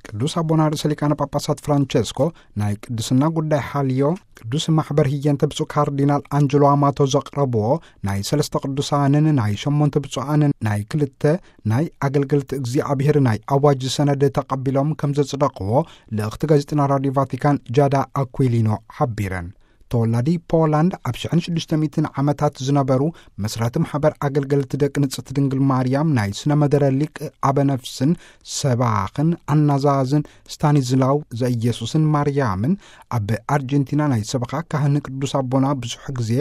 ቅዱስ ኣቦና ርእሰ ሊቃነ ጳጳሳት ፍራንቸስኮ ናይ ቅድስና ጉዳይ ሓልዮ ቅዱስ ማሕበር ህየንተ ብፁዕ ካርዲናል ኣንጀሎ ኣማቶ ዘቕረብዎ ናይ ሰለስተ ቅዱሳንን ናይ ሸሞንተ ብፁዓንን ናይ ክልተ ናይ ኣገልገልቲ እግዚኣብሔር ናይ ኣዋጅ ሰነድ ተቐቢሎም ከም ዘጽደቕዎ ልእኽቲ ጋዜጠና ራዲዮ ቫቲካን ጃዳ ኣኩሊኖ ሓቢረን። ተወላዲ ፖላንድ ኣብ ሽሕን ሽዱሽተ ሚእትን ዓመታት ዝነበሩ መስራቲ ማሕበር ኣገልገልቲ ደቂ ንጽሕቲ ድንግል ማርያም ናይ ስነ መደረ ሊቅ ኣበነፍስን ሰባኽን ኣናዛዝን ስታኒዝላው ዘኢየሱስን ማርያምን ኣብ ኣርጀንቲና ናይ ሰበኻ ካህን ቅዱስ ኣቦና ብዙሕ ግዜ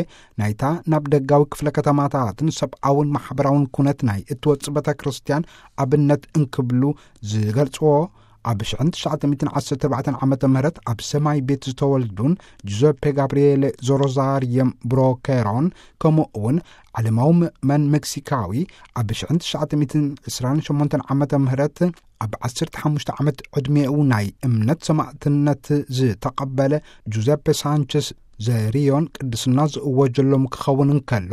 ናይታ ናብ ደጋዊ ክፍለ ከተማታትን ሰብኣውን ማሕበራውን ኩነት ናይ እትወጽእ ቤተ ክርስቲያን ኣብነት እንክብሉ ዝገልጽዎ ኣብ ሽሕን ትሽዓተ ሚእትን ዓሰርተ ኣርባዕተን ዓመተ ምህረት ኣብ ሰማይ ቤት ዝተወልዱን ጁዘፔ ጋብርኤል ዞሮዛርየም ብሮኬሮን ከምኡ እውን ዓለማዊ ምእመን ሜክሲካዊ ኣብ ሽሕን ትሽዓተ ሚእትን ዕስራን ሸሞንተን ዓመተ ምህረት ኣብ ዓሰርተ ሓሙሽተ ዓመት ዕድሜኡ ናይ እምነት ሰማእትነት ዝተቐበለ ጁዘፔ ሳንቸስ ዘሪዮን ቅድስና ዝእወጀሎም ክኸውን እንከሎ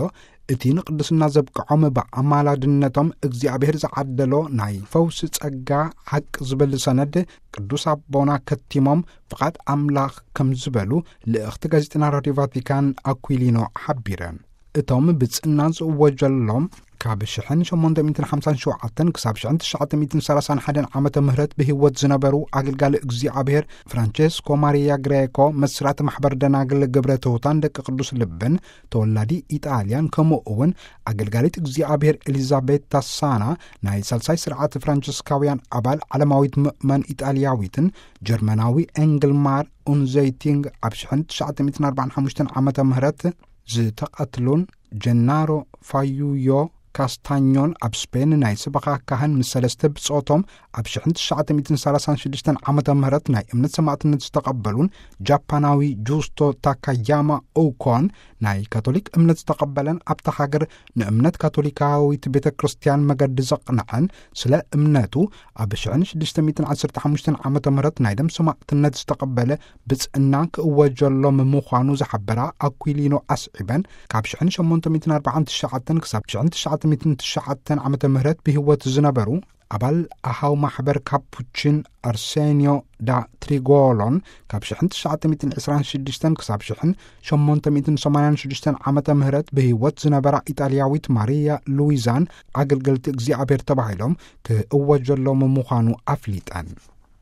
እቲ ንቅድስና ዘብቅዖም ብኣማላድነቶም እግዚኣብሔር ዝዓደሎ ናይ ፈውሲ ጸጋ ሓቂ ዝብል ሰነድ ቅዱስ ኣቦና ከቲሞም ፍቓድ ኣምላኽ ከም ዝበሉ ልእኽቲ ጋዜጠና ራዲዮ ቫቲካን ኣኩሊኖ ሓቢረን። እቶም ብጽና ዝእወጀሎም ካብ ሽሕን ሸሞንተ ሚእትን ሓምሳን ሸውዓተን ክሳብ ሽሕን ትሽዓተ ሚእትን ሰላሳን ሓደን ዓመተ ምህረት ብህይወት ዝነበሩ ኣገልጋሊ እግዚኣብሔር ፍራንቸስኮ ማሪያ ግሬኮ መስራቲ ማሕበር ደናግል ግብረ ትሑታን ደቂ ቅዱስ ልብን ተወላዲ ኢጣልያን ከምኡ እውን ኣገልጋሊት እግዚኣብሔር ኤሊዛቤታ ሳና ናይ ሳልሳይ ስርዓት ፍራንቸስካውያን ኣባል ዓለማዊት ምእመን ኢጣልያዊትን ጀርመናዊ ኤንግልማር ኡንዘይቲንግ ኣብ ሽሕን ትሽዓተ ሚእትን ኣርባዓን ሓሙሽተን ዓመተ ምህረት ዝተቐትሉን ጀናሮ ፋዩዮ ካስታኞን ኣብ ስፔን ናይ ሰበኻ ካህን ምስ ሰለስተ ብጾቶም ኣብ ሽሕን ትሽዓተ ሚእትን ሰላሳን ሽዱሽተን ዓመተ ምህረት ናይ እምነት ሰማእትነት ዝተቐበሉን ጃፓናዊ ጁስቶ ታካያማ ኡኮን ናይ ካቶሊክ እምነት ዝተቐበለን ኣብታ ሃገር ንእምነት ካቶሊካዊት ቤተ ክርስቲያን መገዲ ዘቕንዐን ስለ እምነቱ ኣብ ሽሕን ሽዱሽተ ሚእትን ዓሰርተ ሓሙሽተን ዓመተ ምህረት ናይ ደም ሰማእትነት ዝተቐበለ ብጽእና ክእወጀሎም ምዃኑ ዝሓበራ ኣኩሊኖ ኣስዒበን ካብ ሽሕን ሸሞንተ ሚእትን ኣርባዓን ትሽዓተን ክሳብ ሽሕን ትሽዓተ ሚእትን ትሽዓተን ዓመተ ምህረት ብህይወት ዝነበሩ ኣባል ኣሃው ማሕበር ካፑችን ኣርሴኒዮ ዳ ትሪጎሎን ካብ ሽሕን ትሽዓተ ሚእትን ዕስራን ሽዱሽተን ክሳብ ሽሕን ሸሞንተ ሚእትን ሰማንያን ሽዱሽተን ዓመተ ምህረት ብህይወት ዝነበራ ኢጣልያዊት ማሪያ ሉዊዛን ኣገልገልቲ እግዚኣብሔር ተባሂሎም ክእወጀሎም ምዃኑ ኣፍሊጠን።